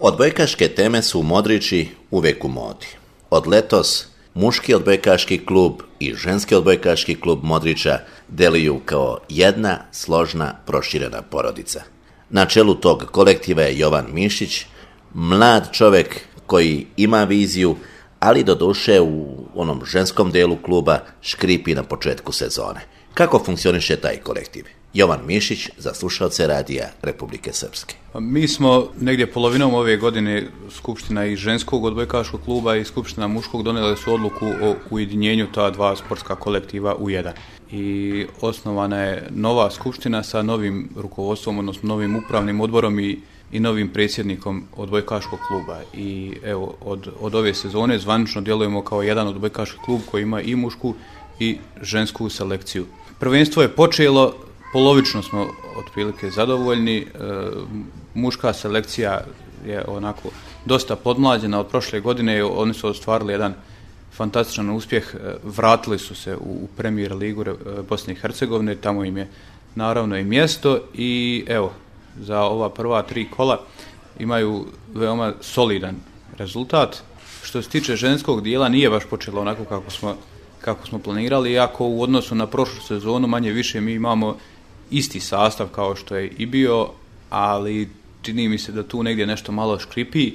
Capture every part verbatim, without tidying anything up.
Odbojkaške teme su u Modrići uvijek u modi. Od letos muški odbojkaški klub i ženski odbojkaški klub Modrića deluju kao jedna složna proširena porodica. Na čelu tog kolektiva je Jovan Mišić, mlad čovjek koji ima viziju, ali doduše u onom ženskom delu kluba škripi na početku sezone. Kako funkcioniše taj kolektiv? Jovan Mišić za slušalce radija Republike Srpske. Mi smo negdje polovinom ove godine skupština i ženskog odbojkaškog kluba i skupština muškog donijeli su odluku o ujedinjenju ta dva sportska kolektiva u jedan. I osnovana je nova skupština sa novim rukovodstvom, odnosno novim upravnim odborom i, i novim predsjednikom odbojkaškog kluba. I evo, od, od ove sezone zvanično djelujemo kao jedan odbojkaški klub koji ima i mušku i žensku selekciju. Prvenstvo je počelo, polovično smo otprilike zadovoljni. E, muška selekcija je onako dosta podmlađena od prošle godine. Oni su ostvarili jedan fantastičan uspjeh. Vratili su se u, u Premier ligu Bosne i Hercegovine. Tamo im je naravno i mjesto. I evo, za ova prva tri kola imaju veoma solidan rezultat. Što se tiče ženskog dijela, nije baš počelo onako kako smo, kako smo planirali. Iako u odnosu na prošlu sezonu manje više mi imamo isti sastav kao što je i bio, ali čini mi se da tu negdje nešto malo škripi,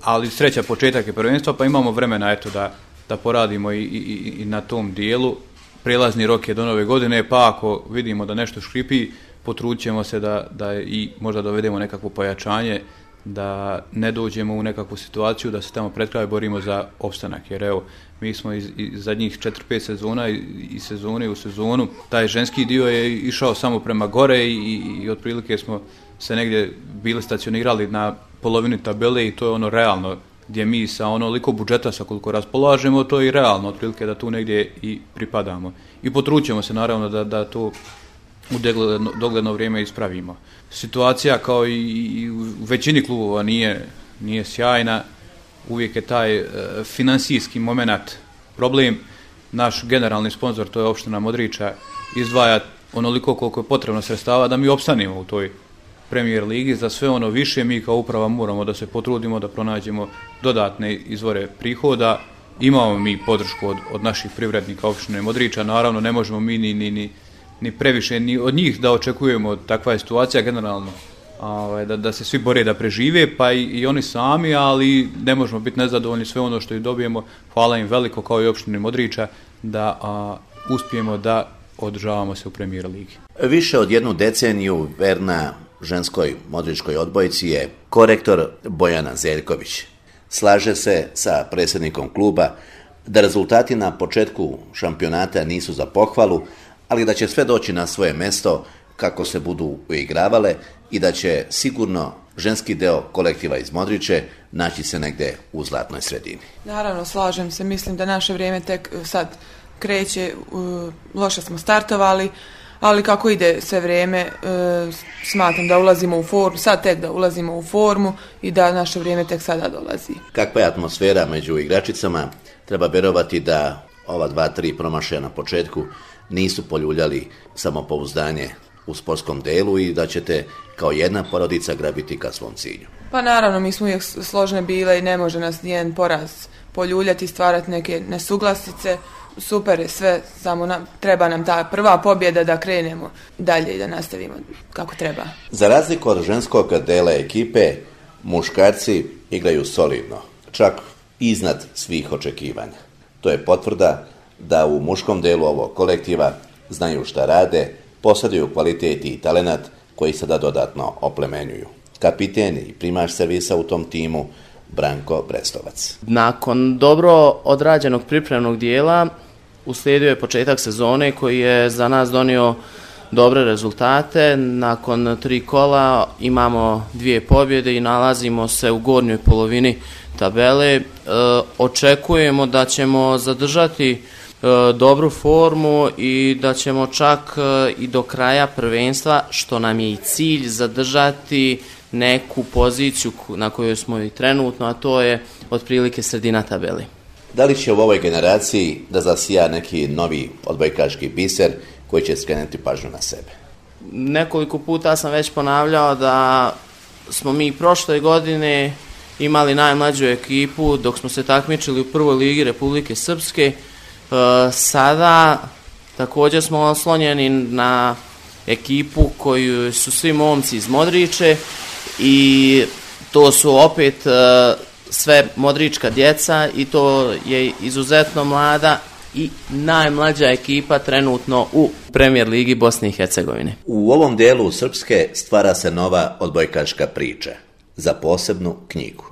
ali sreća početak je prvenstva, pa imamo vremena eto da, da poradimo i, i, i na tom dijelu. Prelazni rok je do nove godine, pa ako vidimo da nešto škripi, potrudit ćemo se da, da i možda dovedemo nekakvo pojačanje, da ne dođemo u nekakvu situaciju da se tamo pred kraj borimo za opstanak, jer evo, mi smo iz, iz zadnjih četiri pet sezona i, i sezone u sezonu, taj ženski dio je išao samo prema gore i, i, i otprilike smo se negdje bili stacionirali na polovini tabele i to je ono realno, gdje mi sa onoliko budžeta sa koliko raspolažemo, to je i realno, otprilike da tu negdje i pripadamo. I potrućemo se naravno da, da to u dogledno, dogledno vrijeme ispravimo. Situacija kao i, i u većini klubova nije, nije sjajna, uvijek je taj e, financijski moment problem. Naš generalni sponzor, to je opština Modrića, izdvaja onoliko koliko je potrebno sredstava da mi opstanemo u toj Premier ligi. Za sve ono više mi kao uprava moramo da se potrudimo da pronađemo dodatne izvore prihoda. Imamo mi podršku od, od naših privrednika opštine Modrića, naravno ne možemo mi ni, ni, ni ni previše ni od njih da očekujemo, takva je situacija generalno, ovaj, da, da se svi bore da prežive, pa i, i oni sami, ali ne možemo biti nezadovoljni, sve ono što i dobijemo, hvala im veliko kao i opštini Modrića, da a, uspijemo da održavamo se u Premier ligi. Više od jednu deceniju verna ženskoj modričkoj odbojci je korektor Bojana Zeljković. Slaže se sa predsjednikom kluba da rezultati na početku šampionata nisu za pohvalu, ali da će sve doći na svoje mjesto kako se budu uigravale i da će sigurno ženski deo kolektiva iz Modriće naći se negdje u zlatnoj sredini. Naravno, slažem se, mislim da naše vrijeme tek sad kreće, loše smo startovali, ali kako ide sve vrijeme, smatram da ulazimo u formu, sad tek da ulazimo u formu i da naše vrijeme tek sada dolazi. Kakva je atmosfera među igračicama? Treba vjerovati da ova dva, tri promašaja na početku nisu poljuljali samopouzdanje u sportskom delu i da ćete kao jedna porodica grabiti ka svom cilju. Pa naravno, mi smo uvijek složne bile i ne može nas nijedan poraz poljuljati, stvarati neke nesuglasice. Super je sve, samo nam, treba nam ta prva pobjeda da krenemo dalje i da nastavimo kako treba. Za razliku od ženskog dela ekipe, muškarci igraju solidno, čak iznad svih očekivanja. To je potvrda da u muškom delu ovog kolektiva znaju šta rade, posjeduju kvalitet i talenat koji sada dodatno oplemenjuju. Kapiten i primaš servisa u tom timu Branko Brestovac. Nakon dobro odrađenog pripremnog dijela uslijedio je početak sezone koji je za nas donio dobre rezultate. Nakon tri kola imamo dvije pobjede i nalazimo se u gornjoj polovini tabele. E, očekujemo da ćemo zadržati e, dobru formu i da ćemo čak e, i do kraja prvenstva, što nam je i cilj, zadržati neku poziciju na kojoj smo i trenutno, a to je otprilike sredina tabeli. Da li će u ovoj generaciji da zasija neki novi odbojkaški biser koji će skrenuti pažnju na sebe? Nekoliko puta sam već ponavljao da smo mi prošle godine imali najmlađu ekipu dok smo se takmičili u prvoj ligi Republike Srpske. Sada također smo oslonjeni na ekipu koju su svi momci iz Modriče i to su opet sve modrička djeca i to je izuzetno mlada i najmlađa ekipa trenutno u Premijer ligi Bosne i Hercegovine. U ovom dijelu Srpske stvara se nova odbojkaška priča za posebnu knjigu.